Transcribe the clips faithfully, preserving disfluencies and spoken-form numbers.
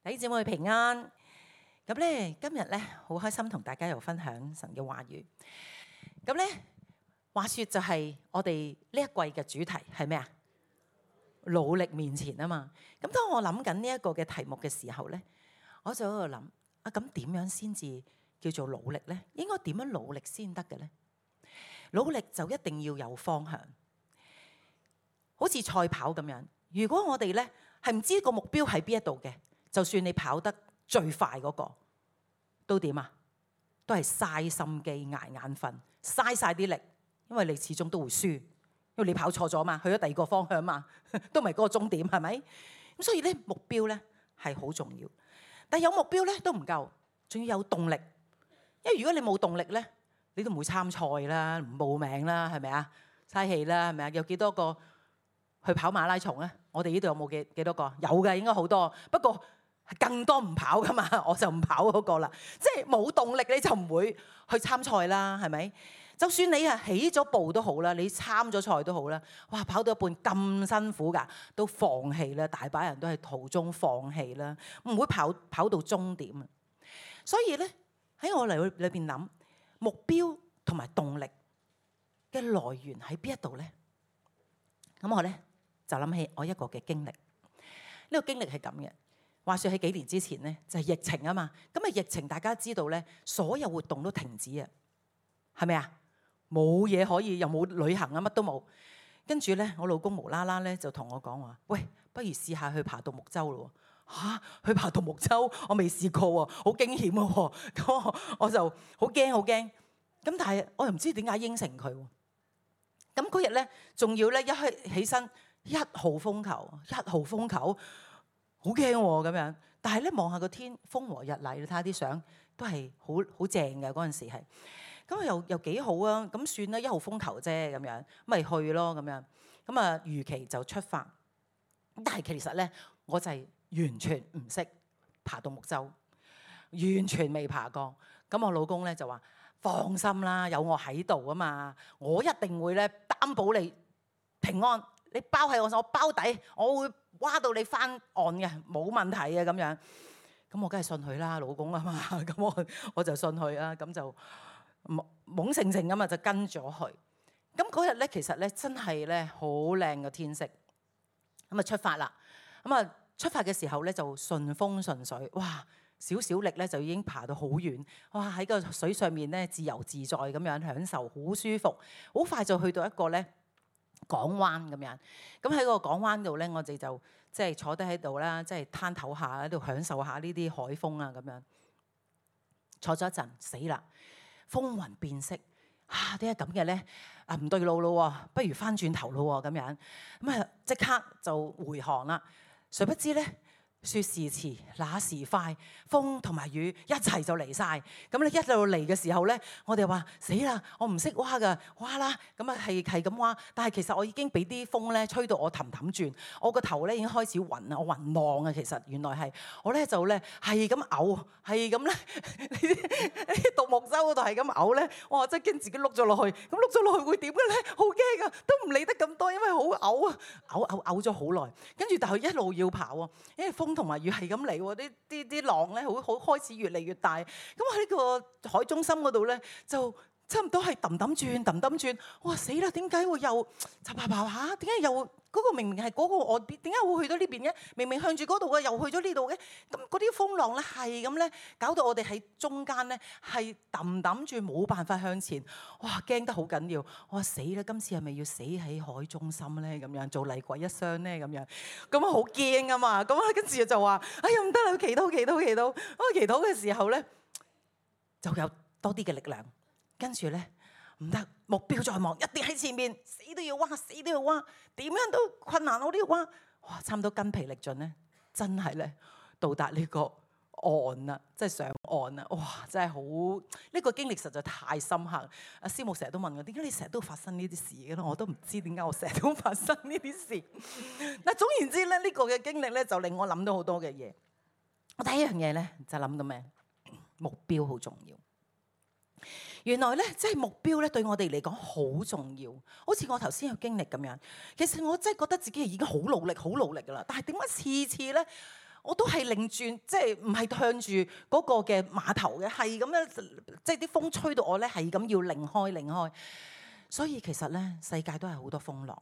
弟兄姊妹平安。咁咧，今日咧好開心同大家又分享神嘅話語。咁咧，話說就係我哋呢一季嘅主題係咩啊？努力面前啊嘛。咁當我諗緊呢一個嘅題目嘅時候咧，我就喺度諗啊，咁點樣先至叫做努力咧？應該點樣努力先得嘅咧？努力就一定要有方向，好似賽跑咁樣。如果我哋咧係唔知個目標喺邊一度嘅，就算你跑得最快嗰個，都點啊？都係嘥心機、捱眼瞓、嘥晒啲力，因為你始終都會輸，因為你跑錯咗嘛，去咗第二個方向嘛，都唔係嗰個終點，係咪？咁所以咧，目標咧係好重要，但係有目標咧都唔夠，仲要有動力。因為如果你冇動力咧，你都唔會參賽啦，唔報名啦，係咪啊？嘥氣啦，係咪啊？有幾多個去跑馬拉松咧？我哋呢度有冇幾幾多個？有嘅，應該好多。不過更多唔跑噶嘛，我就唔跑嗰個啦。即係冇動力你就唔會去參賽啦，係咪？就算你係起咗步都好啦，你參咗賽都好啦。哇，跑到一半咁辛苦㗎，都放棄啦。大把人都係途中放棄啦，唔會跑跑到終點啊。所以咧喺我嚟裏邊諗目標同埋動力嘅來源喺邊一度咧？咁我咧就諗起我一個嘅經歷。呢個經歷係咁嘅。話說喺幾年之前咧，就係疫情啊嘛。咁啊疫情大家知道咧，所有活動都停止啊，係咪啊？冇嘢可以，又冇旅行啊，乜都冇。跟住咧，我老公無啦啦咧就同我講話：喂，不如試下去爬獨木舟咯。嚇，去爬獨木舟，我未試過喎，好驚險喎。咁我我就好驚好驚。咁但係我又唔知點解應承佢喎。咁嗰日咧，仲要咧一起起身一號風球，一號風球。好驚喎咁樣，但係咧望下個天風和日麗，你睇下啲相都係好好正嘅嗰陣時係，咁又又幾好啊！咁算啦，一號風球啫咁樣，咪去咯咁樣，咁啊預期就出發。但係其實咧，我就係完全唔識爬獨木舟，完全未爬過。咁我老公咧就話：放心啦，有我喺度啊嘛，我一定會咧擔保你平安。你包喺我，我包底，我會挖到你翻岸嘅，冇問題嘅咁樣。咁我梗係信佢啦，老公啊嘛。咁我我就信佢啦，咁就懵盛盛咁啊，就跟咗去。咁嗰日咧，其實咧真係咧好靚嘅天色。咁啊出發啦。咁啊出發嘅時候咧就順風順水，哇！少少力咧就已經爬到好遠，哇！喺個水上面咧自由自在咁樣享受，好舒服。好快就去到一個咧港灣咁樣，咁喺個港灣度咧，我哋就即係坐低喺度啦，即係攤唞下喺度享受下呢啲海風啊咁樣。坐咗一陣，死啦！風雲變色，啊點解咁嘅咧？啊唔對路咯，不如翻轉頭咯咁樣。咁啊即刻就回航啦。誰不知咧？説時遲，那時快，風同埋雨一齊就嚟晒。咁你一路嚟嘅時候咧，我哋話死啦，我唔識蛙㗎，蛙啦。咁啊係係咁蛙，但係其實我已經俾啲風咧吹到我氹氹轉，我個頭咧已經開始暈啦，我暈浪啊。其實原來係我咧就咧係咁嘔，係咁咧呢啲獨木舟嗰度係咁嘔咧，我真係驚自己碌咗落去。咁碌咗落去會點嘅咧？好驚啊！都唔理得咁多，因為好嘔啊，嘔嘔嘔咗好耐。跟住但係一路要跑喎，因為風同埋雨係咁嚟喎，啲啲啲浪咧好好開始越嚟越大。咁喺呢個海中心嗰度咧，就差唔多係揼揼轉揼揼轉。哇死啦！點解會又就爬爬下？點解又嗰個明明係嗰個岸邊，點解會去到呢邊嘅？明明向住嗰度嘅，又去咗呢度嘅。咁嗰啲風浪咧係咁咧，搞到我哋喺中間咧係揼揼轉，冇辦法向前。哇！驚得好緊要。我話死啦！今次係咪要死喺海中心咧？咁樣做厲鬼一雙咧？咁樣咁啊好驚啊嘛！咁啊跟住就話：哎呀唔得啦！祈禱祈禱祈禱。我祈禱嘅時候咧，就有多啲嘅力量。跟住咧唔得，目標在望，一定喺前面，死都要挖，死都要挖，點樣都困難我都要挖。哇！差唔多筋疲力盡咧，真係咧到達呢個岸啦，即係上岸啦。哇！真係好呢個經歷實在太深刻。阿師母成日都問我：點解你成日都發生呢啲事嘅咧？我都唔知點解我成日都發生呢啲事。嗱，總言之咧，呢個嘅經歷咧就令我諗到好多嘅嘢。我第一樣嘢咧就諗到咩？目標好重要。原來咧，即係目標咧，對我哋嚟講好重要。好似我頭先有經歷咁樣，其實我真係覺得自己已經好努力、好努力噶啦。但係點解次次咧，我都係擰轉，即係唔係向住嗰個嘅碼頭嘅，係咁樣，即係啲風吹到我咧，係咁要擰開擰開。所以其實咧，世界都係好多風浪，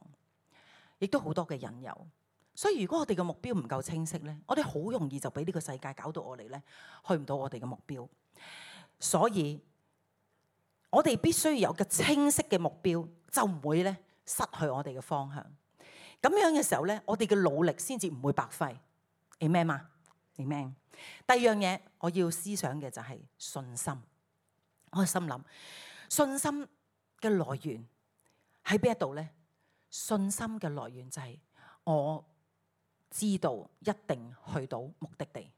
亦都好多嘅引誘。所以如果我哋嘅目標唔夠清晰咧，我哋好容易就俾呢個世界搞到我哋咧去唔到我哋嘅目標。所以我哋必須有個清晰嘅目標，就唔會咧失去我哋嘅方向。咁樣嘅時候咧，我哋嘅努力先至唔會白費。Amen 嘛 Amen。第二樣嘢我要思想嘅就係信心。我心諗信心嘅來源喺邊一度咧？信心嘅來源就係我知道一定去到目的地。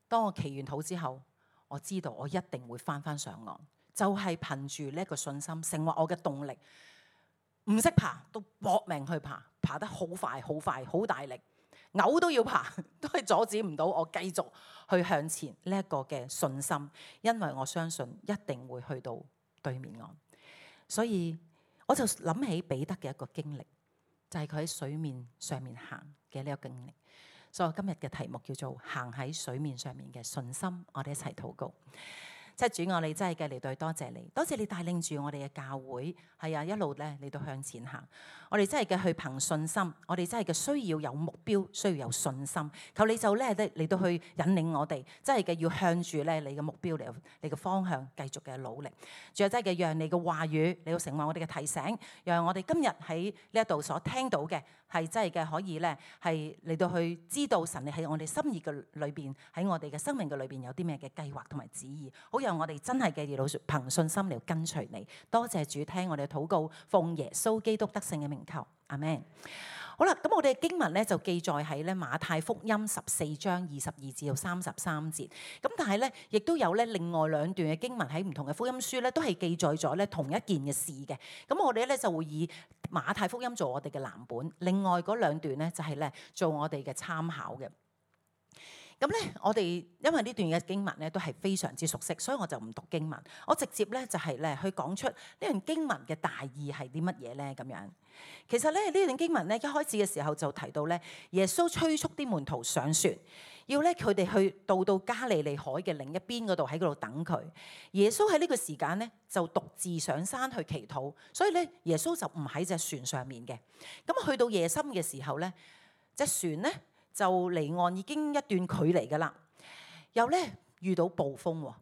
當我祈完禱之後，我知道我一定會翻翻上岸，就係憑住呢一個信心成為我嘅動力。唔識爬都搏命去爬，爬得好快好快好大力，嘔都要爬，都係阻止唔到我繼續去向前呢一個嘅信心，因為我相信一定會去到對面岸。所以我就諗起彼得嘅一個經歷，就係佢喺水面上面行嘅呢個經歷。所以我今日嘅題目叫做行喺水面上面嘅信心。我哋一齊禱告。即係主，我哋真係嘅嚟到多謝你，多謝你帶領住我哋嘅教會，係啊一路咧嚟到向前行。我哋真係嘅去憑信心，我哋真係嘅需要有目標，需要有信心。求你就咧嚟到去引領我哋，真係嘅要向住咧你嘅目標嚟，你嘅方向繼續嘅努力。仲有真係嘅讓你嘅話語嚟到成為我哋嘅提醒，讓我哋今日喺呢一度所聽到嘅係真係嘅可以咧係嚟到去知道神你喺我哋心意嘅裏邊，喺我哋嘅生命嘅裏邊有啲咩嘅計劃同埋旨意，好讓我哋真係嘅要憑信心嚟跟隨你。多謝主聽我哋嘅禱告，奉耶穌基督得勝嘅名求，阿們。好啦，咁我哋嘅經文咧就記載喺咧馬太福音十四章二十二至到三十三節。咁但係咧，亦都有咧另外兩段嘅經文喺唔同嘅福音書咧，都係記載咗咧同一件嘅事嘅。咁我哋咧就會以馬太福音做我哋嘅藍本，另外嗰兩段咧就係咧做我哋嘅參考嘅。咁咧，我哋因為呢段嘅經文咧都係非常之熟悉，所以我就唔讀經文，我直接咧就係咧去講出呢段經文嘅大意係啲乜嘢咧咁樣。其實咧呢段經文咧一開始嘅時候就提到咧，耶穌催促啲門徒上船，要咧佢哋去到到加利利海嘅另一邊嗰度喺嗰度等佢。耶穌喺呢個時間咧就獨自上山去祈禱，所以咧耶穌就唔喺隻船上面嘅。咁去到夜深嘅時候咧，隻船咧就離岸已經一段距離㗎喇，又咧遇到暴風喎，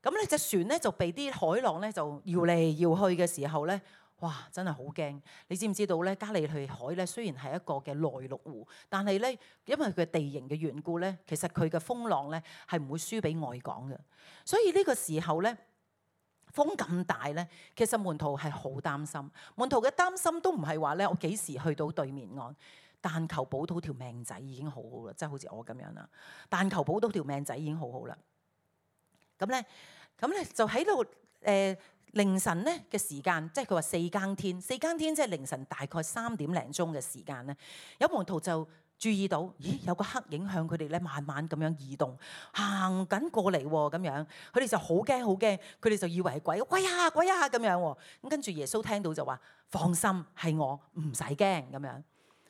咁咧隻船咧就被啲海浪咧就搖嚟搖去嘅時候咧，哇！真係好驚。你知唔知道咧？加利利海咧雖然係一個嘅內陸湖，但係咧因為佢地形嘅緣故咧，其實佢嘅風浪咧係唔會輸俾外港嘅。所以呢個時候咧風咁大咧，其實門徒係好擔心。門徒嘅擔心都唔係話咧我幾時去到對面岸。但求保到條命仔已經好好啦，即係好似我咁樣啦。但求保到條命仔已經好好啦。咁咧，咁咧就喺度誒凌晨咧嘅時間，即係佢話四更天，四更天即係凌晨大概三點零鐘嘅時間咧，有門徒就注意到，咦有個黑影向佢哋咧慢慢咁樣移動，行緊過嚟喎咁樣，佢哋就好驚好驚，佢哋就以為係鬼，鬼啊鬼啊咁樣喎。咁跟住耶穌聽到就話：放心，係我，唔使驚咁樣。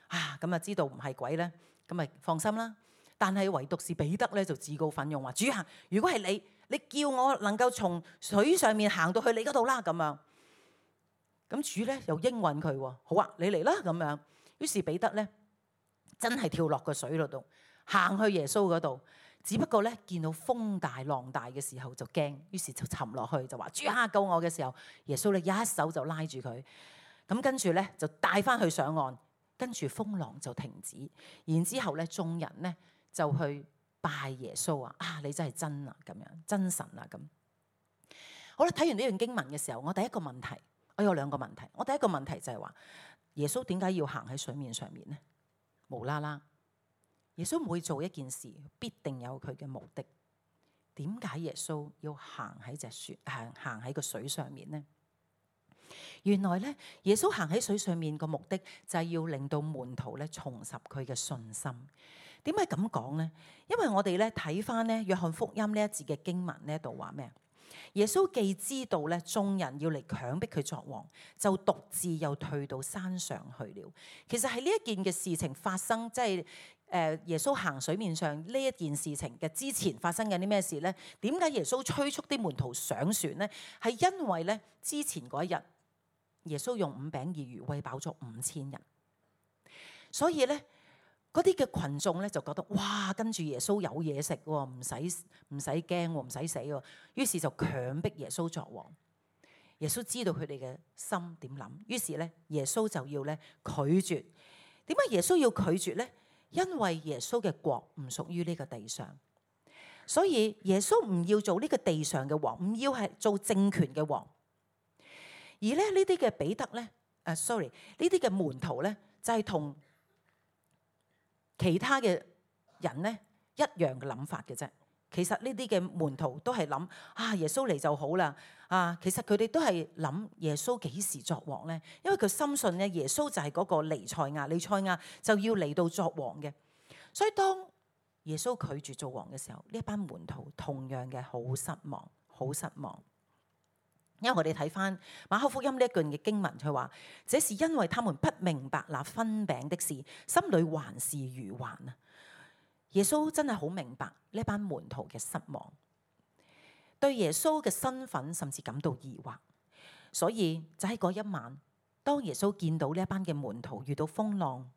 啊，咁啊知道唔係鬼咧，咁咪放心啦。但係唯獨是彼得咧就自告奮勇話：主啊，如果係你，你叫我能夠從水上面行到去你嗰度啦咁樣。咁主咧又應允佢喎，好啊，你嚟啦咁樣。於是彼得咧真係跳落個水嗰度，行去耶穌嗰度。只不過咧見到風大浪大嘅時候就驚，於是就沉落去就話：主啊，救我嘅時候，耶穌咧一手就拉住佢，咁跟住咧就帶翻去上岸。跟住風浪就停止，然之後咧眾人咧就去拜耶穌啊！啊，你真係真啊，咁樣真神啊咁。好啦，睇完呢段經文嘅時候，我第一個問題，我有兩個問題。我第一個問題就係話，耶穌點解要行喺水面上面呢？無啦啦，耶穌每做一件事，必定有佢嘅目的。點解耶穌要行喺隻船，行行喺個水上面呢？原來咧，耶穌行喺水上面個目的就係要令到門徒咧重拾佢嘅信心。點解咁講呢？因為我哋咧睇翻咧約翰福音呢一節嘅經文呢度話咩？耶穌既知道咧眾人要嚟強迫佢作王，就獨自又退到山上去了。其實係呢一件嘅事情發生，即係誒耶穌行水面上呢一件事情嘅之前發生緊啲咩事咧？點解耶穌催促啲門徒上船咧？係因為咧之前嗰一日耶穌用五餅二魚餵飽咗五千人，所以咧。嗰啲嘅群眾咧就覺得哇，跟住耶穌有嘢食喎，唔使唔使驚喎，唔使死喎，於是就強迫耶穌作王。耶穌知道佢哋嘅心點諗，於是咧耶穌就要咧拒絕。點解耶穌要拒絕咧？因為耶穌嘅國唔屬於呢個地上，所以耶穌唔要做呢個地上嘅王，唔要係做政權嘅王。而咧呢啲嘅彼得咧，誒 sorry 呢啲嘅門徒咧就係同其他嘅人咧一樣嘅諗法嘅啫。其實呢啲嘅門徒都係諗啊，耶穌嚟就好啦。啊，其實佢哋都係諗耶穌幾時作王咧？因為佢深信咧耶穌就係嗰個彌賽亞，彌賽亞就要嚟到作王嘅。所以當耶穌拒絕做王嘅時候，呢一班門徒同樣嘅好失望，好失望。因為我哋睇翻馬可福音呢一句嘅經文，佢話：這是因為他們不明白那分餅的事，心裏還是愚頑啊！耶穌真係好明白呢班門徒嘅失望，對耶穌嘅身份甚至感到疑惑。所以就喺嗰一晚，當耶穌見到呢一班嘅門徒遇到風浪，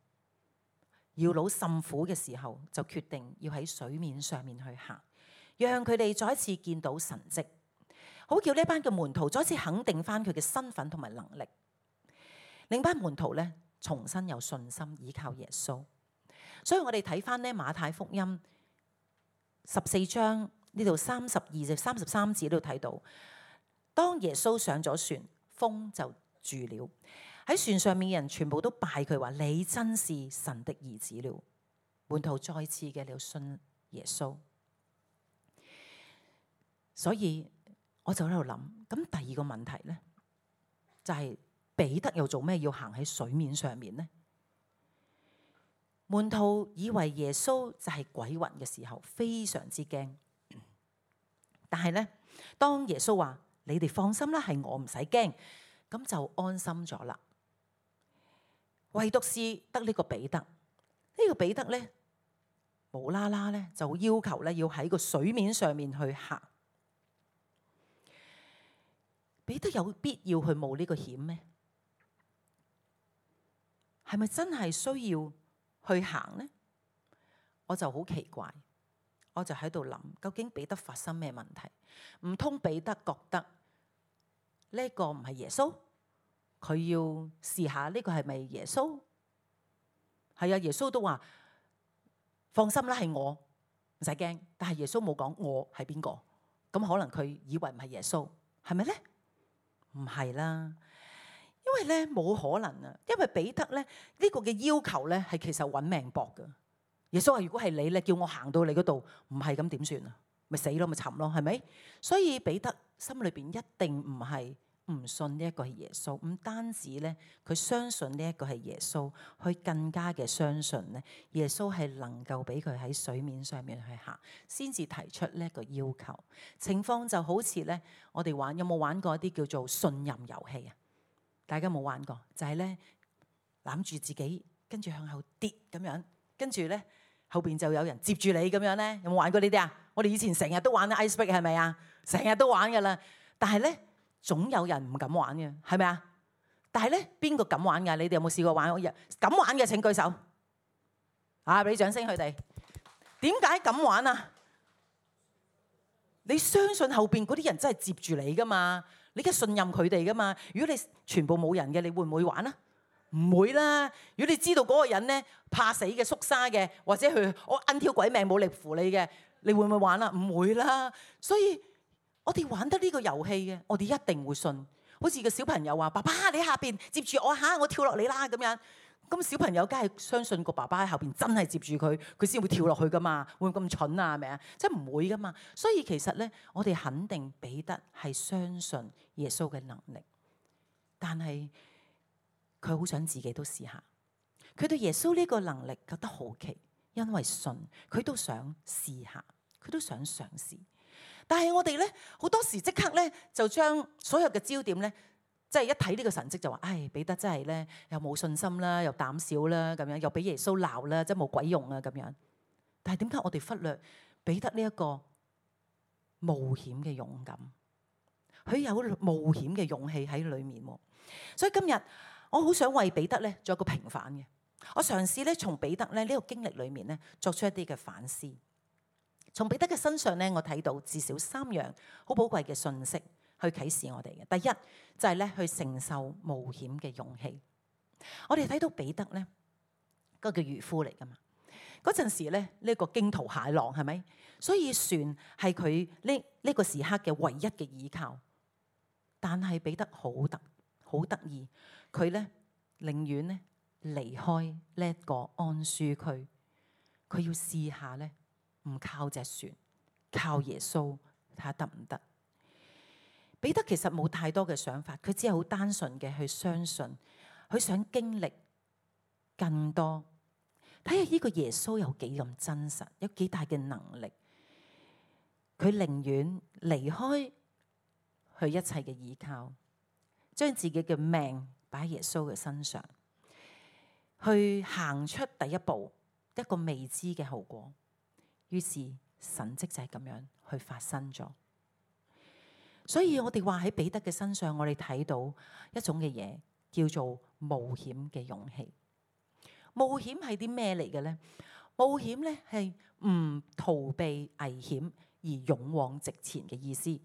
搖櫓甚苦嘅時候，就決定要喺水面上面去行，讓佢哋再一次見到神蹟。好叫呢班嘅門徒再一次肯定翻佢嘅身份同埋能力，令班門徒咧重新有信心依靠耶穌。所以我哋睇翻咧馬太福音十四章呢度三十二至三十三節都睇到，當耶穌上咗船，風就住了。喺船上面嘅人全部都拜佢，話你真是神的兒子了。門徒再次嘅了信耶穌，所以。我就喺度諗，咁第二個問題咧，就係彼得又做咩要行喺水面上面呢？門徒以為耶穌就係鬼魂嘅時候，非常之驚。但係咧，當耶穌話：你哋放心啦，係我唔使驚，咁就安心咗啦。唯獨是得呢個彼得，呢個彼得咧，無啦啦咧就要求咧要喺個水面上面去行。彼得有必要去冒呢個險咩？係咪真係需要去行呢？我就好奇怪，我就喺度諗，究竟彼得發生咩問題？唔通彼得覺得呢個唔係耶穌？佢要試下呢個係咪耶穌？係啊，耶穌都話放心啦，係我，唔使驚。但係耶穌冇講我係邊個，咁可能佢以為唔係耶穌，係咪咧？唔係啦，因為咧冇可能啊，因為彼得咧呢個嘅要求咧係其實揾命搏噶。耶穌話：如果係你咧，叫我行到你嗰度，唔係咁點算啊？咪死咯，咪沉咯，係咪？所以彼得心裏邊一定唔係唔信呢一個係耶穌，唔單止咧佢相信呢一個係耶穌，佢更加嘅相信咧耶穌係能夠俾佢喺水面上面去行，先至提出呢一個要求。情況就好似咧，我哋玩有冇玩過一啲叫做信任遊戲啊？大家冇玩過，就係咧攬住自己，跟住向後跌咁樣，跟住咧後邊就有人接住你咁樣咧。有冇玩過呢啲啊？我哋以前成日都玩 ice break 係咪啊？成日都玩噶啦，但係咧。總有人唔敢玩嘅，係咪啊？但係咧，邊個敢玩㗎？你哋有冇試過玩？敢玩嘅請舉手。啊，俾掌聲佢哋。點解敢玩啊？你相信後邊嗰啲人真係接住你㗎嘛？你梗係信任佢哋㗎嘛？如果你全部冇人嘅，你會唔會玩啊？唔會啦。如果你知道嗰個人咧怕死嘅、縮沙嘅，或者佢我揞條鬼命冇力扶你嘅，你會唔會玩啊？唔會啦。所以。我哋玩得呢個遊戲嘅，我哋一定會信。好似個小朋友話：爸爸，你喺下邊接住我嚇，我跳落嚟啦咁樣。咁小朋友梗係相信個爸爸喺後邊真係接住佢，佢先會跳落去噶嘛。會唔會咁蠢啊？係咪啊？即係唔會噶嘛。所以其實咧，我哋肯定彼得係相信耶穌嘅能力，但係佢好想自己都試下。佢對耶穌呢個能力覺得好奇，因為信佢都想試下，佢都想嘗試。但係我哋咧好多時即刻咧就將所有嘅焦點咧，即係一睇呢個神蹟就話：唉，彼得真係咧又冇信心啦，又膽小啦，咁樣又俾耶穌鬧啦，即係冇鬼用啊咁樣。但係點解我哋忽略彼得呢一個冒險嘅勇敢？佢有冒險嘅勇氣喺裏面。所以今日我好想為彼得咧做一個平反嘅。我嘗試咧從彼得咧呢個經歷裏面咧作出一啲嘅反思。從彼得嘅身上咧，我睇到至少三樣好寶貴嘅信息去啟示我哋嘅。第一就係咧去承受冒險嘅勇氣。我哋睇到彼得咧嗰個叫漁夫嚟噶嘛，嗰陣時咧呢個驚濤駭浪係咪？所以船係佢呢呢個時刻嘅唯一嘅依靠。但係彼得好得好得意，佢咧寧願咧離開呢一個安舒區，佢要試下咧唔靠隻船，靠耶穌睇下得唔得？彼得其實冇太多嘅想法，佢只係好單純嘅去相信，佢想經歷更多，睇下呢個耶穌有幾咁真實，有幾大嘅能力。佢寧願離開佢一切嘅依靠，將自己嘅命擺喺耶穌嘅身上，去行出第一步，一個未知嘅後果。於是神蹟就係咁樣去發生咗。所以我哋話喺彼得嘅身上，我哋睇到一種嘅嘢叫做冒險嘅勇氣。冒險係啲咩嚟嘅咧？冒險咧係唔逃避危險而勇往直前嘅意思。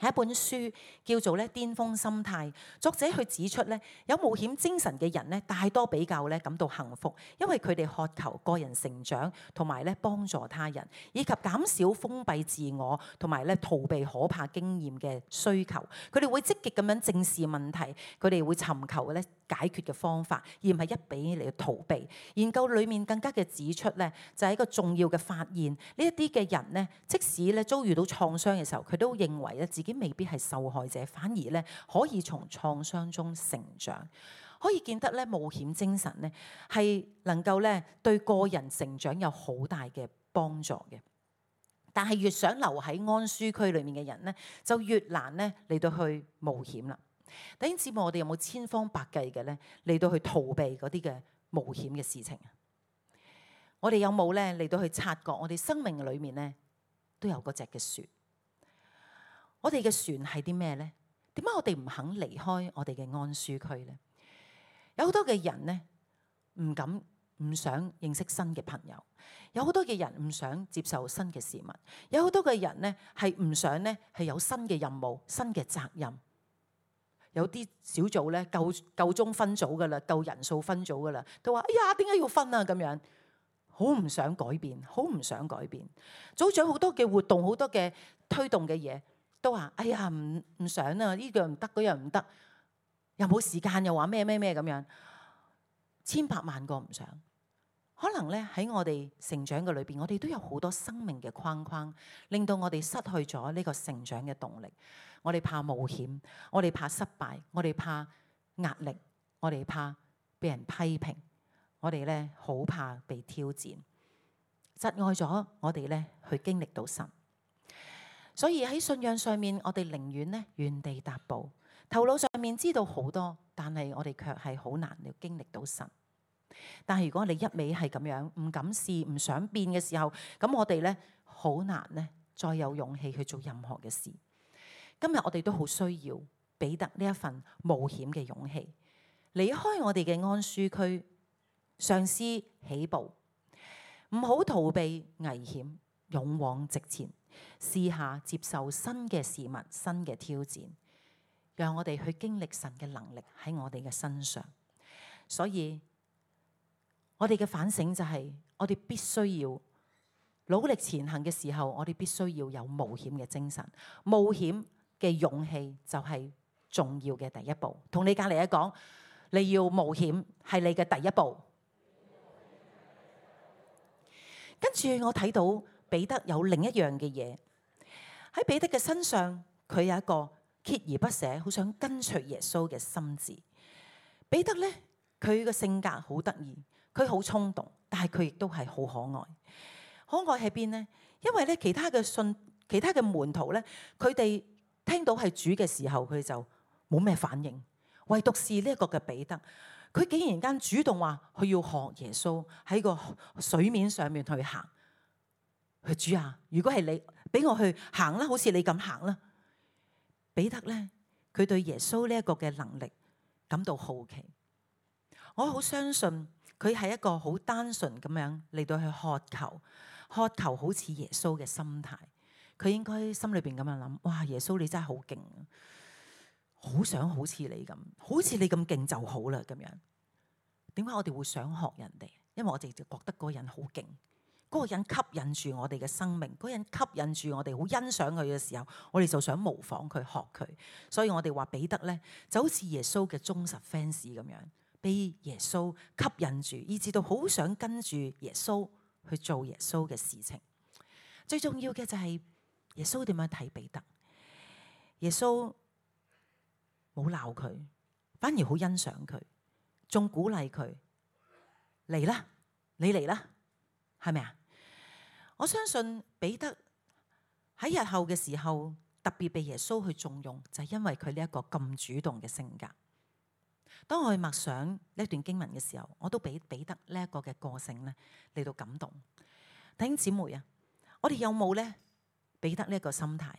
係一本書叫做咧《巔峰心態》，作者去指出咧，有冒險精神嘅人咧，大多比較咧感到幸福，因為佢哋渴求個人成長，同埋咧幫助他人，以及減少封閉自我，同埋咧逃避可怕經驗嘅需求。佢哋會積極咁樣正視問題，佢哋會尋求咧解決嘅方法，而唔係一味嚟逃避。研究裡面更加嘅指出咧，就係一個重要嘅發現，呢一啲嘅人咧，即使咧遭遇到創傷嘅時候，佢都認為咧自己未必係受害者，反而咧可以從創傷中成長。可以見得咧冒險精神咧係能夠咧對個人成長有好大嘅幫助嘅。但係越想留喺安舒區裏面嘅人咧，就越難咧嚟到去冒險啦。弟兄姊妹，我哋有冇千方百計嘅咧嚟到去逃避嗰啲嘅冒險嘅事情啊？我哋有冇咧嚟到去察覺我哋生命裏面咧都有嗰隻嘅船？我哋嘅船係啲咩咧？點解我哋唔肯離開我哋嘅安舒區咧？有好多嘅人咧唔敢、唔想認識新嘅朋友，有好多嘅人唔想接受新嘅事物，有好多嘅人咧係唔想咧係有新嘅任務、新嘅責任。有啲小組咧夠夠鐘分組噶啦，夠人數分組噶啦，都話：哎呀，點解要分啊？咁樣好唔想改變，好唔想改變。組長好多嘅活動，好多嘅推動嘅嘢。都話：哎呀，唔唔想啊！呢樣唔得，嗰樣唔得，又冇時間，又話咩咩咩咁樣，千百萬個唔想。可能咧喺我哋成長嘅裏邊，我哋都有好多生命嘅框框，令到我哋失去咗呢個成長嘅動力。我哋怕冒險，我哋怕失敗，我哋怕壓力，我哋怕被人批評，我哋咧好怕被挑戰，窒礙咗我哋咧去經歷到神。所以喺信仰上面，我哋寧願咧原地踏步，頭腦上面知道好多，但係我哋卻係好難要經歷到神。但係如果你一味係咁樣唔敢試、唔想變嘅時候，咁我哋咧好難咧再有勇氣去做任何嘅事。今日我哋都好需要彼得呢一份冒險嘅勇氣，離開我哋嘅安舒區，嘗試起步，唔好逃避危險，勇往直前。試下接受新嘅事物、新嘅挑戰，讓我哋去經歷神嘅能力喺我哋嘅身上。所以我哋嘅反省就係，我哋必須要努力前行嘅時候，我哋必須要有冒險嘅精神。冒險嘅勇氣就係重要嘅第一步。同你隔籬一講，你要冒險係你嘅第一步。跟住我睇到彼得有另一樣嘅嘢，喺彼得嘅身上，佢有一個鍥而不捨，好想跟隨耶穌嘅心志。彼得咧，佢嘅性格好得意，佢好衝動，但係佢亦都係好可愛。可愛喺邊呢？因為咧，其他嘅信其他嘅門徒咧，佢哋聽到係主嘅時候，佢哋就冇咩反應。唯獨是呢一個嘅彼得，佢竟然間主動話佢要學耶穌喺個水面上面去行。佢主啊，如果係你俾我去行啦，好似你咁行啦。彼得咧，佢對耶穌呢一個嘅能力感到好奇。我好相信佢係一個好單純咁樣嚟到去渴求，渴求好似耶穌嘅心態。佢應該心裏邊咁樣諗：哇，耶穌你真係好勁，好想好似你咁，好似你咁勁就好啦。咁樣點解我哋會想學人哋？因為我哋就覺得嗰個人好勁。嗰個人吸引住我哋嘅生命，嗰個人吸引住我哋，好欣賞佢嘅時候，我哋就想模仿佢、學佢。所以我哋話彼得咧，就好似耶穌嘅忠實 fans 咁樣，被耶穌吸引住，以至到好想跟住耶穌去做耶穌嘅事情。最重要嘅就係耶穌點樣睇彼得？耶穌冇鬧佢，反而好欣賞佢，仲鼓勵佢嚟啦，你嚟啦，係咪啊？我相信彼得喺日後嘅時候特別被耶穌去重用，就係因為佢呢一個咁主動嘅性格。當我去默想呢段經文嘅時候，我都俾彼得呢一個嘅個性咧嚟到感動。弟兄姊妹啊，我哋有冇咧彼得呢一個心態？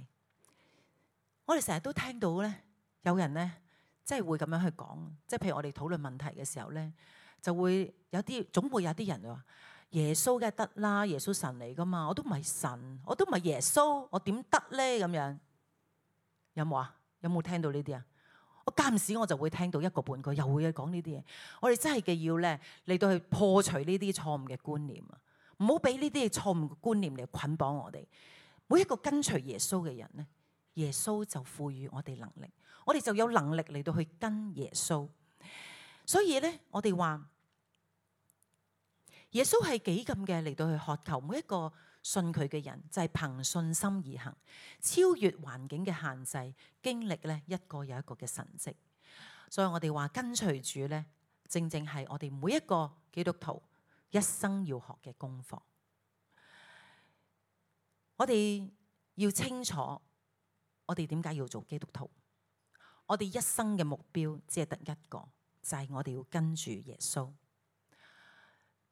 我哋成日都聽到咧有人咧即係會咁樣去講，即係譬如我哋討論問題嘅時候咧，就會有啲總會有啲人話。耶穌梗係得啦，耶穌神嚟噶嘛，我都唔係神，我都唔係耶穌，我點得咧？咁樣有冇啊？有冇聽到呢啲啊？我間唔時我就會聽到一個半個，又會講呢啲嘢。我哋真係嘅要咧嚟到去破除呢啲錯誤嘅觀念啊！唔好俾呢啲錯誤嘅觀念嚟捆綁我哋。每一個跟隨耶穌嘅人咧，耶穌就賦予我哋能力，我哋就有能力嚟到去跟耶穌。所以咧，我哋話。耶穌係幾咁嘅嚟到去渴求每一個信佢嘅人，就係憑信心而行，超越環境嘅限制，經歷咧一個又一個嘅神蹟。所以我哋話跟隨主咧，正正係我哋每一個基督徒一生要學嘅功課。我哋要清楚，我哋點解要做基督徒？我哋一生嘅目標只係得一個，就係我哋要跟住耶穌。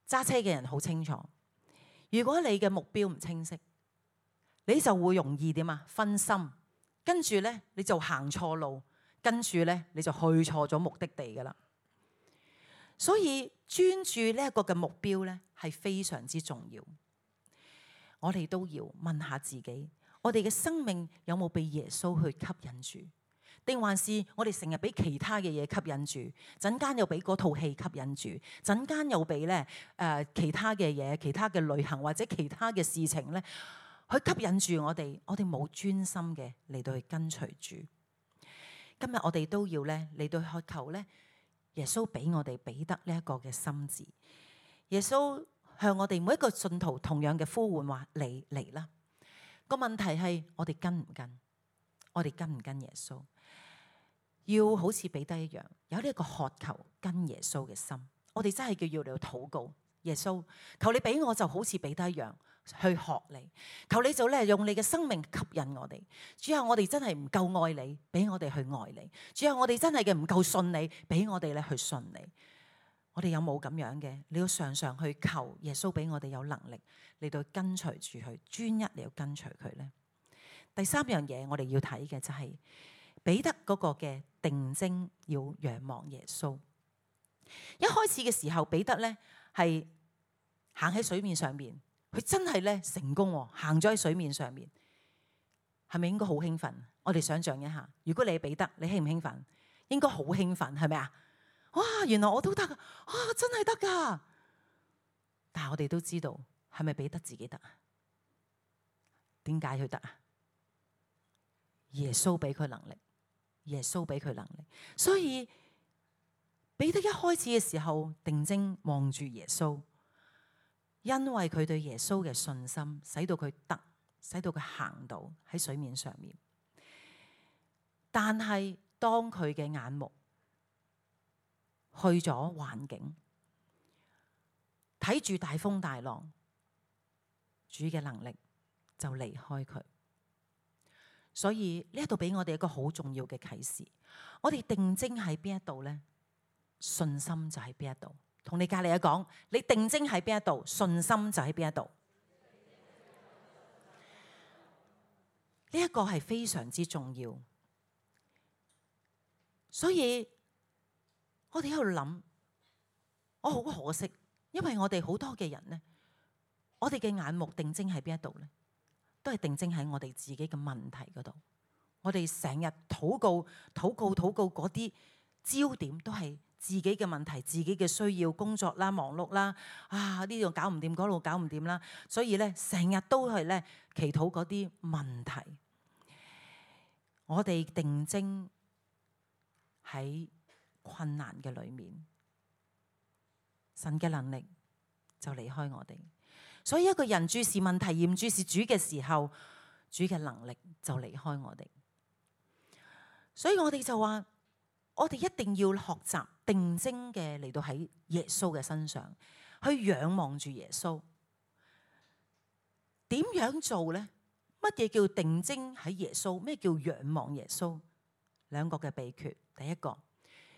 揸車嘅人好清楚，如果你嘅目標唔清晰，你就會容易點啊？分心，跟住咧你就行錯路，跟住咧你就去錯咗目的地噶啦。所以專注呢一個嘅目標咧係非常之重要。我哋都要問下自己，我哋嘅生命有冇被耶穌去吸引住？定還是我哋成日俾其他嘅嘢吸引住，陣間又俾嗰套戲吸引住，陣間又俾咧誒其他嘅嘢、其他嘅旅行或者其他嘅事情咧，去吸引住我哋。我哋冇專心嘅嚟到去跟隨主。今日我哋都要咧嚟到去渴求咧，耶穌俾我哋彼得呢一個嘅心志。耶穌向我哋每一個信徒同樣嘅呼喚話：嚟嚟啦！個問題係我哋跟唔跟？我哋跟唔跟耶穌？要好似彼得一樣，有呢一個渴求跟耶穌嘅心。我哋真係叫要嚟禱告，耶穌，求你俾我就好似彼得一樣去學你。求你就咧用你嘅生命吸引我哋。主啊，我哋真係唔夠愛你，俾我哋去愛你。主啊，我哋真係嘅唔夠信你，俾我哋咧去信你。我哋有冇咁樣嘅？你要常常去求耶穌俾我哋有能力嚟到跟隨住佢，專一嚟到跟隨佢咧。第三樣嘢我哋要睇嘅就係彼得嗰個嘅定睛要仰望耶穌。一開始嘅時候，彼得咧係行喺水面上面，佢真係咧成功喎，行咗喺水面上面，係咪應該好興奮？我哋想象一下，如果你係彼得，你興唔興奮？應該好興奮，係咪啊？哇！原來我都得啊！啊，真係得噶！但係我哋都知道，係咪彼得自己得啊？點解佢得啊？耶穌俾佢能力，耶穌俾佢能力。所以彼得一開始嘅時候定睛望住耶穌，因為佢對耶穌嘅信心，使到佢得，使到佢行到喺水面上面。但係當佢嘅眼目去咗環境，睇住大風大浪，主嘅能力就離開佢。所以呢一度俾我哋一個好重要嘅啟示，我哋定睛喺邊一度呢？信心就喺邊一度。同你隔籬嘅講，你定睛喺邊一度，信心就喺邊一度。呢一個係非常之重要。所以我哋喺度諗，我好可惜，因為我哋好多嘅人呢，我哋嘅眼目定睛喺邊一度呢？都係定睛喺我哋自己嘅問題嗰度。我哋成日禱告、禱告、禱告嗰啲焦點都係自己嘅問題、自己嘅需要、工作啦、忙碌啦，啊呢度搞唔掂，嗰度搞唔掂啦。所以咧，成日都係咧祈禱嗰啲問題。我哋定睛喺困難嘅裏面，神嘅能力就離開我哋。所以一個人注視問題而唔注視主嘅時候，主嘅能力就離開我哋。所以我哋就話，我哋一定要學習定睛嘅嚟到喺耶穌嘅身上，去仰望住耶穌。點樣做呢？乜嘢叫定睛喺耶穌？咩叫仰望耶穌？兩個嘅秘訣，第一個，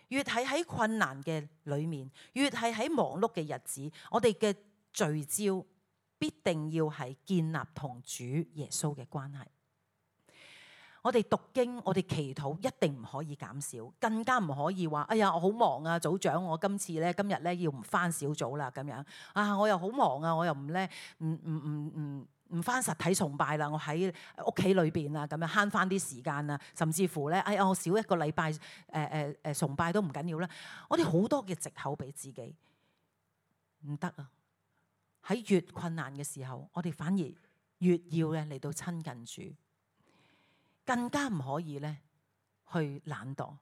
越係喺困難嘅裏面，越係喺忙碌嘅日子，我哋嘅聚焦必定要係建立同主耶穌嘅關係。我哋讀經，我哋祈禱一定唔可以減少，更加唔可以話：哎呀，我好忙啊，組長，我今次咧今日咧要唔返小組啦，咁樣啊，我又好忙啊，我又唔咧唔唔唔唔唔返實體崇拜啦，我喺屋企裏邊啊，咁樣慳返啲時間啊，甚至乎咧，哎呀，我少一個禮拜誒誒誒崇拜都唔緊要啦。我哋好多嘅藉口俾自己，唔得啊！喺越困難嘅時候，我哋反而越要咧嚟到親近主。更加唔可以咧去懶惰。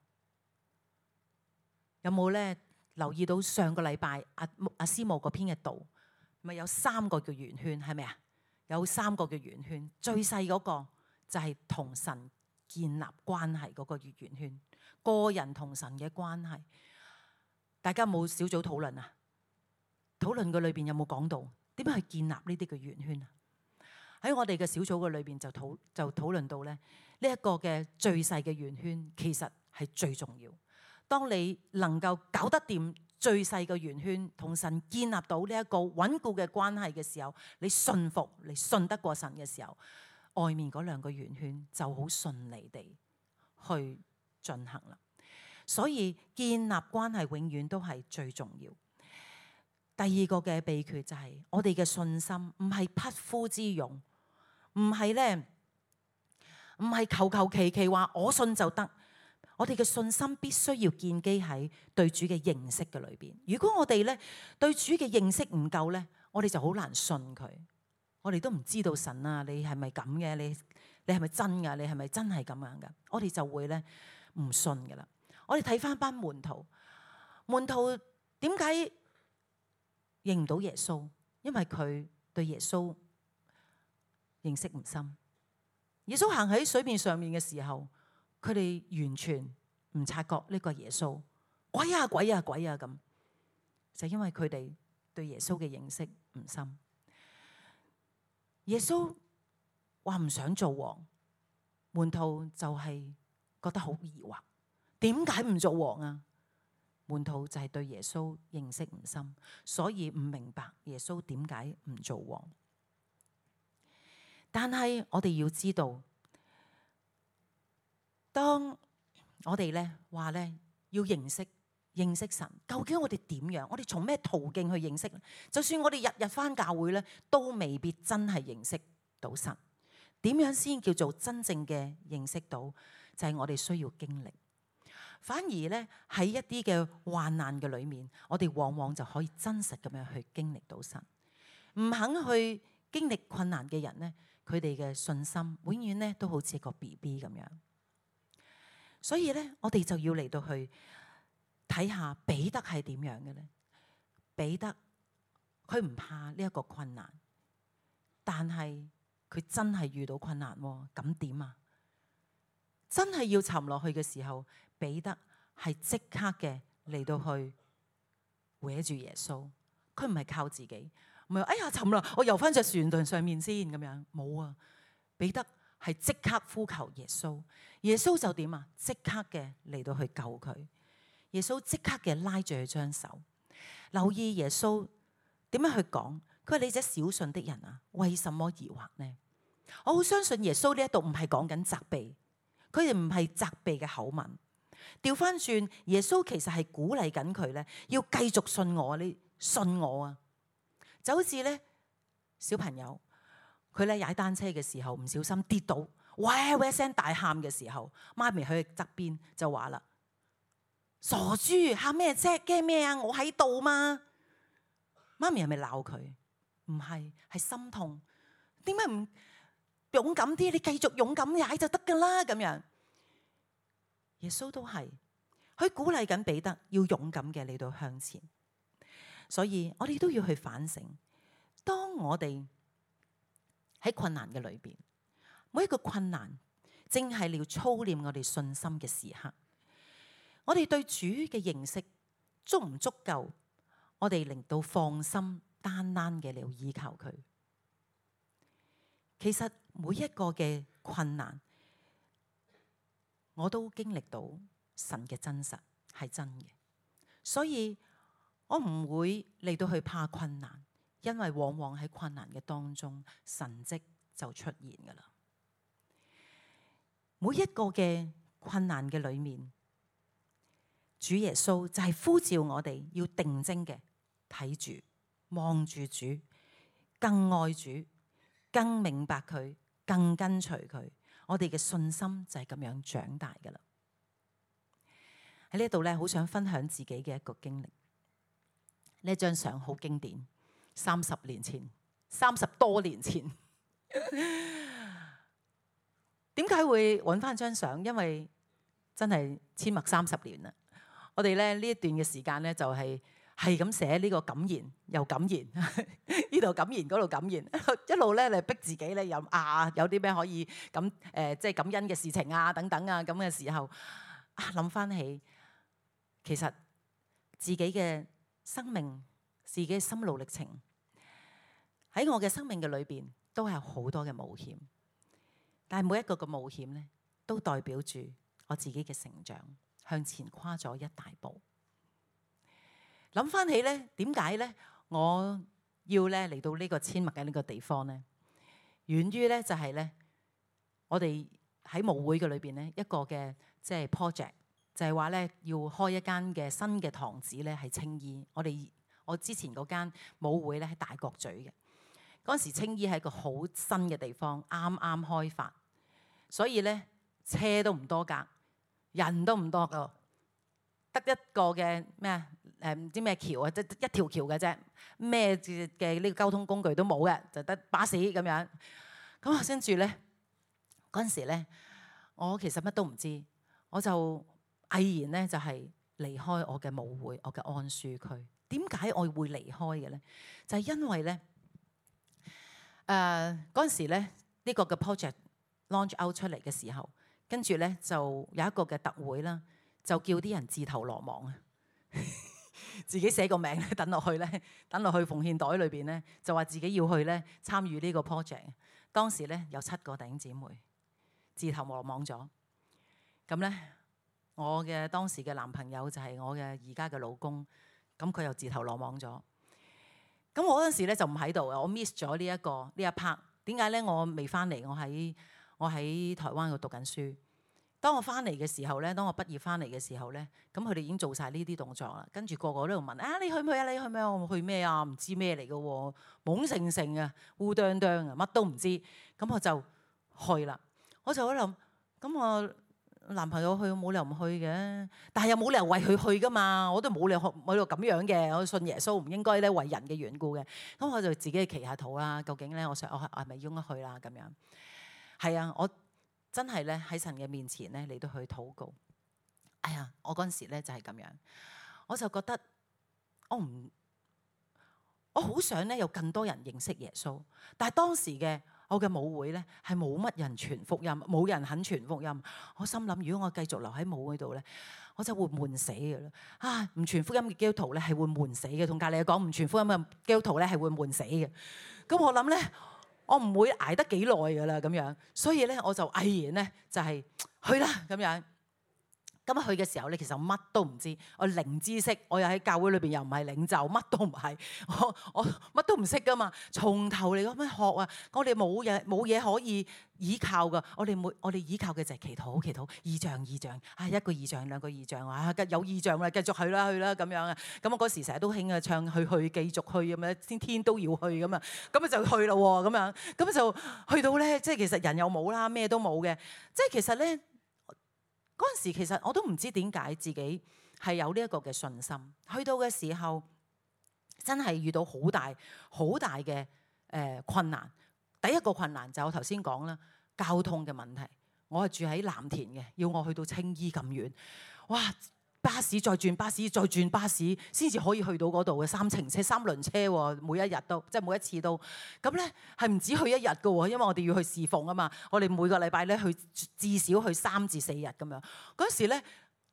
有冇咧留意到上個禮拜阿阿師母嗰篇嘅道，咪有三個叫圓圈，係咪啊？有三個叫圓圈，最細嗰個就係同神建立關係嗰個圓圈，個人同神嘅關係。大家有冇小組討論啊？討論嘅裏邊有冇講到點樣去建立呢啲嘅圓圈啊？喺我哋嘅小組嘅裏邊就討就討論到咧，呢一個嘅最細嘅圓圈其實係最重要。當你能夠搞得掂最細嘅圓圈，同神建立到呢一個穩固嘅關係嘅時候，你信服，你信得過神嘅時候，外面嗰兩個圓圈就好順利地去進行啦。所以建立關係永遠都係最重要。第二個嘅秘訣就係我哋嘅信心唔係匹夫之勇，唔係咧，唔係求求其其話我信就得。我哋嘅信心必須要建基喺對主嘅認識嘅裏邊。如果我哋咧對主嘅認識唔夠咧，我哋就好難信佢。我哋都唔知道神啊，你係咪咁嘅？你你係咪真噶？你係咪真係咁樣噶？我哋就會咧唔信噶啦。我哋睇翻班門徒，門徒點解認唔到耶穌？因為佢對耶穌認識唔深。耶穌行喺水面上面嘅時候，佢哋完全唔察覺呢個耶穌，鬼啊鬼啊鬼啊咁，就因為佢哋對耶穌嘅認識唔深。耶穌話唔想做王，門徒就係覺得好疑惑，點解唔做王啊？門徒就係對耶穌認識唔深，所以唔明白耶穌點解唔做王。但係我哋要知道，當我哋咧話咧要認識認識神，究竟我哋點樣？我哋從咩途徑去認識？就算我哋日日返教會咧，都未必真係認識到神。點樣先叫做真正嘅認識到？就係我哋需要經歷。反而咧喺一啲嘅患難嘅裏面，我哋往往就可以真實咁樣去經歷到神。唔肯去經歷困難嘅人咧，佢哋嘅信心永遠咧都好似個 B B 咁樣。所以咧，我哋就要嚟到去睇下彼得係點樣嘅咧。彼得佢唔怕呢一個困難，但係佢真係遇到困難喎，咁點啊？真係要沉落去嘅時候，彼得係即刻嘅嚟到去搲住耶穌。佢唔係靠自己，唔係哎呀沉啦，我游翻隻船上上面先咁樣，冇啊！彼得係即刻呼求耶穌，耶穌就點啊？即刻嘅嚟到去救佢。耶穌即刻嘅拉住佢張手。留意耶穌點樣去講，佢話你這小信的人啊，為什麼疑惑呢？我好相信耶穌呢一度唔係講緊責備，佢哋唔係責備嘅口吻。調翻轉，耶穌其實係鼓勵緊佢咧，要繼續信我，你信我啊！就好似咧小朋友，佢咧踩單車嘅時候唔小心跌倒，喂喂聲大喊嘅時候，媽咪喺佢側邊就話啦：傻豬，喊咩啫？驚咩啊？我喺度嘛！媽咪係咪鬧佢？唔係，係心痛。點解唔勇敢啲？你繼續勇敢踩就得噶啦！咁樣，耶穌都係，佢鼓勵緊彼得要勇敢嘅嚟到向前。所以我哋都要去反省，當我哋喺困難嘅裏邊，每一個困難正係要操練我哋信心嘅時刻。我哋對主嘅認識足唔足夠？我哋令到放心單單嘅嚟依靠佢。其實每一個嘅困難，我都經歷到神嘅真實係真嘅，所以我唔會嚟到去怕困難，因為往往喺困難嘅當中，神蹟就出現噶啦。每一個嘅困難嘅裏面，主耶穌就係呼召我哋要定睛嘅睇住、望住主，更愛主，更明白佢，更跟隨佢。我哋嘅信心就係咁樣長大噶啦。喺呢度咧，好想分享自己嘅一個經歷。呢張相好經典，三十年前，三十多年前。點解會揾翻張相？因為真係阡陌三十年啦。我哋咧呢一段嘅時間咧，就係係咁寫呢個感言，又感言，呢度感言，嗰度感言，一路咧嚟逼自己咧，有啊有啲咩可以咁誒、呃，即係感恩嘅事情啊，等等啊，咁嘅時候啊，諗翻起其實自己嘅生命、自己嘅心路歷程，喺我嘅生命嘅裏邊都係好多嘅冒險。但係每一個嘅冒險咧，都代表住我自己嘅成長，向前跨咗一大步。諗翻起咧，點解咧我要咧嚟到呢個阡陌嘅呢個地方咧？源於咧就係咧，我哋喺舞會嘅裏邊咧一個嘅即係 project，就係話咧要開一間嘅新嘅堂址咧係青衣。我哋我之前嗰間舞會咧喺大角咀嘅。嗰陣時青衣係一個好新嘅地方，啱啱開發，所以咧車都唔多架，人都唔多個，得一個嘅咩誒唔知咩橋啊，即一條橋嘅啫，咩嘅呢個交通工具都冇嘅，就得巴士咁樣。咁啊，跟住咧嗰陣時咧，我其實乜都唔知，我就毅然咧就係離開我嘅舞會，我嘅安舒區。點解我會離開嘅咧？就係因為咧。誒嗰陣時咧，呢、這個嘅 project launch out 出嚟嘅時候，跟住咧就有一個嘅特會啦，就叫啲人自投羅網啊，自己寫個名咧，等落去咧，等落去奉獻袋裏邊咧，就話自己要去咧參與呢個 project。當時咧有七個弟兄姊妹自投羅網咗，咁咧我嘅當時嘅男朋友就係我嘅而家嘅老公，咁佢又自投羅網咗。咁我嗰陣時咧就唔喺度啊，我 miss 咗呢一個呢一 part。點解咧？我未翻嚟，我喺我喺台灣度讀緊書。當我翻嚟嘅時候咧，當我畢業翻嚟嘅時候咧，咁佢哋已經做晒呢啲動作啦。跟住個個都喺度問啊，你去唔去啊？你去唔去啊？我去咩啊？唔知咩嚟嘅喎，懵盛盛啊，烏啄啄啊，乜都唔知。咁我就去啦。我就喺度諗，咁我男朋友去，冇理由唔去嘅，但係又冇理由為佢去噶嘛，我都冇理由喺度咁樣嘅，我信耶穌唔應該咧為人嘅緣故嘅，咁我就自己祈下禱啦，究竟咧我想我係咪應該去啦咁樣？係啊，我真係咧喺神嘅面前咧嚟到去禱告。哎呀，我嗰陣時咧就係咁樣，我就覺得我唔，我好想咧有更多人認識耶穌，但係當時嘅我嘅舞會咧係冇乜人傳福音，冇人肯傳福音。我心諗，如果我繼續留喺舞會度咧，我就會悶死嘅啦。啊，唔傳福音嘅基督徒咧係會悶死嘅，同隔離講唔傳福音嘅基督徒咧係會悶死嘅。咁我諗咧，我唔會捱得幾耐㗎啦咁樣，所以咧我就毅然咧就係去啦咁樣。咁去嘅時候咧，其實我乜都唔知，我零知識，我又喺教會裏邊又唔係領袖，乜都唔係，我我乜都唔識噶嘛，從頭嚟咁樣學啊！我哋冇嘢冇嘢可以依靠噶，我哋每我哋依靠嘅就係祈禱祈禱，異象異象，啊一個異象兩個異象啊，有異象啦，繼續去啦去啦咁樣啊！咁我嗰時成日都興啊唱去去繼續去咁樣，天天都要去咁啊，咁啊就去啦喎咁樣，咁就去到咧，即係其實人又冇啦，咩都冇嘅，即係其實咧。嗰陣時其實我都唔知點解自己係有呢一個嘅信心，去到嘅時候真係遇到好大好大嘅誒、呃、困難。第一個困難就我頭先講啦，交通嘅問題。我係住喺藍田嘅，要我去到青衣咁遠，哇！巴士再轉巴士再轉巴士先至可以去到嗰度嘅，三程車三輪車喎，每一日都即係每一次都咁咧，係唔止去一日㗎喎，因為我哋要去侍奉啊嘛，我哋每個禮拜咧去至少去三至四日咁樣。嗰時咧，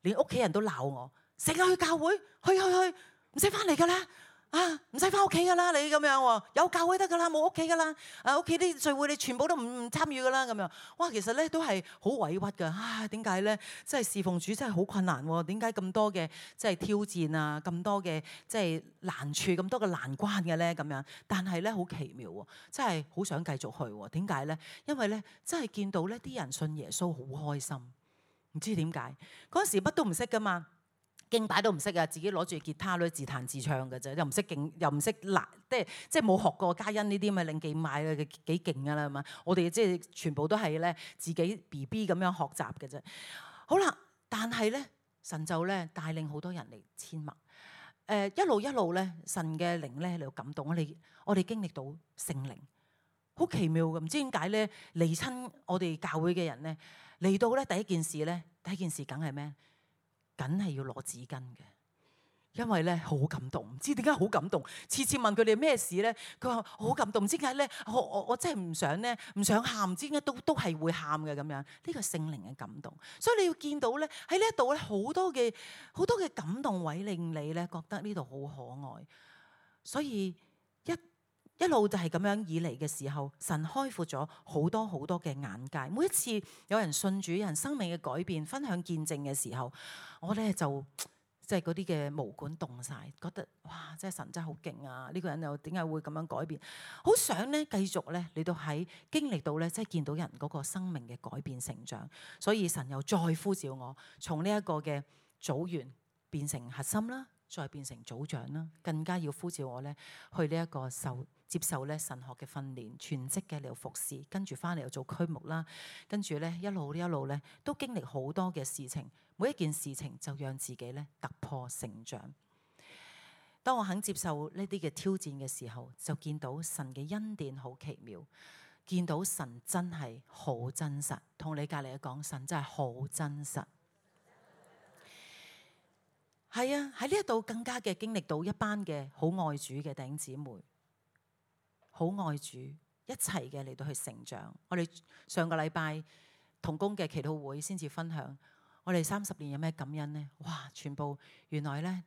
連屋企人都鬧我，成日去教會，去去去，唔使翻嚟㗎啦。啊，唔使翻屋企噶啦，你咁樣喎，有教會得噶啦，冇屋企噶啦。啊，屋企啲聚會你全部都唔唔參與噶啦，咁樣。哇，其實咧都係好委屈噶。啊，點解咧？即係侍奉主真係好困難喎。點解咁多嘅即係挑戰啊，咁多嘅即係難處，咁多嘅難關嘅咧？咁樣。但係咧好奇妙喎，真係好想繼續去喎。點解咧？因為咧真係見到咧啲人信耶穌好開心，唔知點解。嗰陣時乜都唔識噶嘛。敬拜都唔識啊！自己攞住吉他咧自彈自唱嘅啫，又唔識敬，又唔識嗱，即係即係冇學過嘉欣呢啲咁嘅令記買嘅幾勁㗎啦嘛！我哋即係全部都係咧自己 B B 咁樣學習嘅啫。好啦，但係咧神就咧帶領好多人嚟簽默，誒、呃、一路一路咧神嘅靈咧嚟到感動我哋，我哋經歷到聖靈，好奇妙嘅，唔知點解咧嚟親我哋教會嘅人咧嚟到咧第一件事咧第一件事梗係咩？梗係要攞紙巾嘅，因為咧好感動，唔知點解好感動。次次問佢哋咩事咧，佢話好感動，唔知點解咧，我我我真係唔想咧，唔想喊，唔知點解都都係會喊嘅咁樣。呢個聖靈嘅感動，所以你要見到咧喺呢一度咧好多嘅好多嘅感動位令你咧覺得呢度好可愛。所以一一路就係咁樣以嚟嘅時候，神開闊咗好多好多嘅眼界。每一次有人信主，有人生命嘅改變，分享見證嘅時候，我咧就即係嗰啲嘅毛管凍晒，覺得哇！真係神真係好勁啊！呢個人又點解會咁樣改變？好想咧繼續咧嚟到喺經歷到咧，即係見到人嗰個生命嘅改變成長。所以神又再呼召我，從呢一個嘅組員變成核心啦，再變成組長啦，更加要呼召我咧去呢一個受接受咧神學嘅訓練，全職嘅嚟服侍，跟住翻嚟又做區牧啦，跟住咧一路一路咧都經歷好多嘅事情，每一件事情就讓自己咧突破成長。當我肯接受呢啲嘅挑戰嘅時候，就見到神嘅恩典好奇妙，見到神真係好真實。同你隔籬講，神真係好真實。係啊，喺呢一度更加嘅經歷到一班嘅好愛主嘅弟兄姊妹。好愛主，一齊嘅嚟到去成長。我哋上個禮拜同工嘅祈禱會先至分享，我哋三十年有咩感恩呢？哇！全部原來咧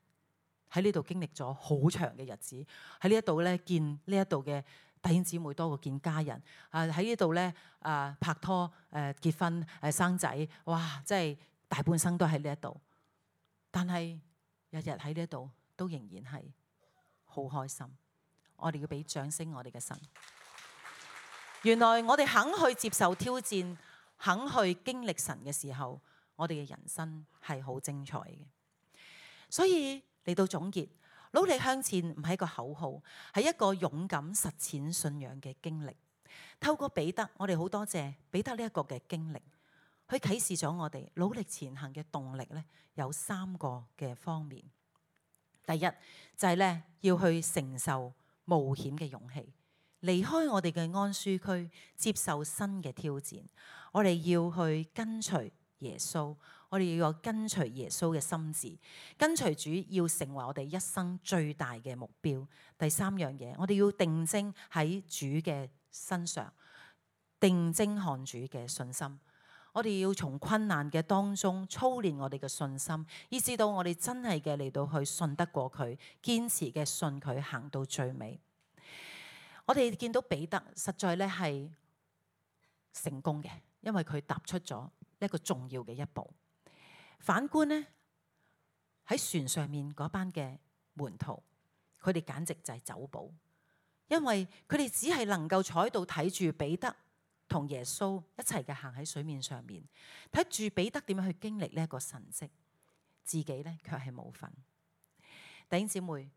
喺呢度經歷咗好長嘅日子，喺呢一度咧見呢一度嘅弟兄姊妹多過見家人。啊喺呢度咧啊拍拖、誒結婚、誒生仔，哇！即係大半生都喺呢一度。但係日日喺呢一度都仍然係好開心。我哋要俾掌聲，我哋嘅神。原來我哋肯去接受挑戰，肯去經歷神嘅時候，我哋嘅人生係好精彩嘅。所以嚟到總結，努力向前唔係一個口號，係一個勇敢實踐信仰嘅經歷。透過彼得，我哋好多謝彼得呢一個嘅經歷，佢啟示咗我哋努力前行嘅動力咧，有三個嘅方面。第一就係咧要去承受冒險嘅勇氣，離開我哋嘅安舒區，接受新嘅挑戰。我哋要去跟隨耶穌，我哋要有跟隨耶穌嘅心志，跟隨主要成為我哋一生最大嘅目標。第三樣嘢，我哋要定睛喺主嘅身上，定睛看主嘅信心。我哋要從困難嘅當中操練我哋嘅信心，以至到我哋真係嘅嚟到去信得過佢，堅持嘅信佢行到最尾。我哋見到彼得實在咧係成功嘅，因為佢踏出咗一個重要嘅一步。反觀呢，喺船上面嗰班嘅門徒，佢哋簡直就係走寶，因為佢哋只係能夠坐喺度睇住彼得同耶穌一齊嘅行喺水面上面，睇住彼得點樣去經歷呢一個神蹟，自己咧卻係冇份。弟兄姊妹，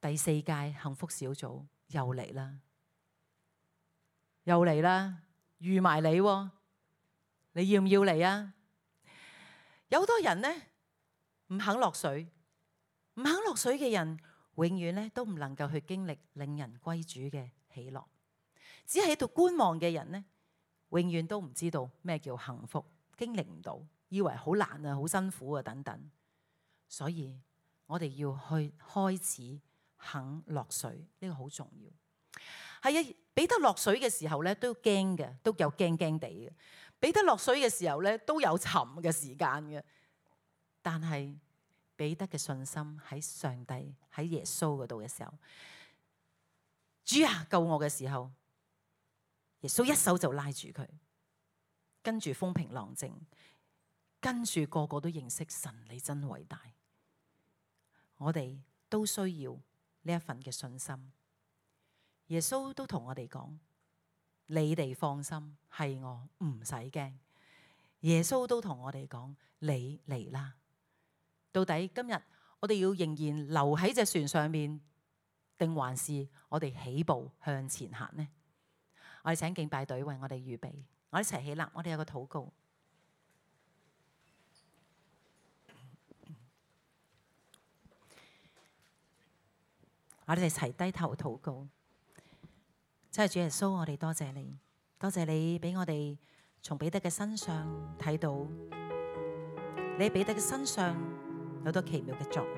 第四屆幸福小組又嚟啦，又嚟啦，預埋你，你要唔要嚟啊？有好多人呢，唔肯落水，唔肯落水嘅人，永遠咧都唔能夠去經歷令人歸主嘅喜樂。只係喺度觀望嘅人呢，永遠都唔知道咩叫幸福，經歷唔到，以為好難啊，好辛苦啊等等。所以我哋要去開始肯落水，呢個好重要。係啊，彼得落水嘅時候咧都驚嘅，都有驚驚地嘅。彼得落水嘅時候咧都有沉嘅時間嘅，但係彼得嘅信心喺上帝喺耶穌嗰度嘅時候，主啊救我嘅時候，耶穌一手就拉住佢，跟住風平浪靜，跟住個個都認識神，你真偉大。我哋都需要呢一份嘅信心。耶穌都同我哋講，你哋放心，係我，唔使驚。耶穌都同我哋講，你嚟啦。到底今日我哋要仍然留喺隻船上面，定還是我哋起步向前行呢？我哋請敬拜隊為我哋預備，我哋一齊起立，我哋有個禱告。我哋一齊低頭禱告。真係主耶穌，我哋多謝你，多謝你俾我哋從彼得嘅身上睇到，你喺彼得嘅身上有好多奇妙嘅作為。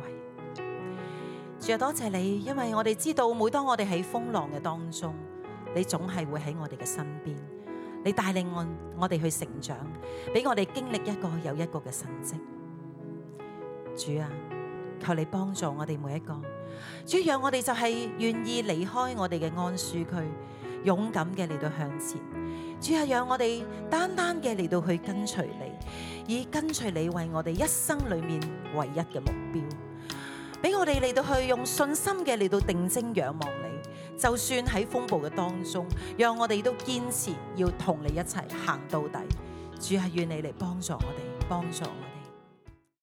主啊，多謝你，因為我哋知道，每當我哋喺風浪嘅當中，你總係會喺我哋嘅身邊，你帶領我我哋去成長，俾我哋經歷一個又一個嘅神蹟。主啊，求你幫助我哋每一個。主，讓我哋就係願意離開我哋嘅安舒區，勇敢嘅嚟到向前。主啊，讓我哋單單嘅嚟到去跟隨你，以跟隨你為我哋一生裏面唯一嘅目標，俾我哋嚟到去用信心嘅嚟到定睛仰望你。就算喺風暴嘅當中，讓我哋都堅持要同你一齊行到底。主啊，願你嚟幫助我哋，幫助我哋。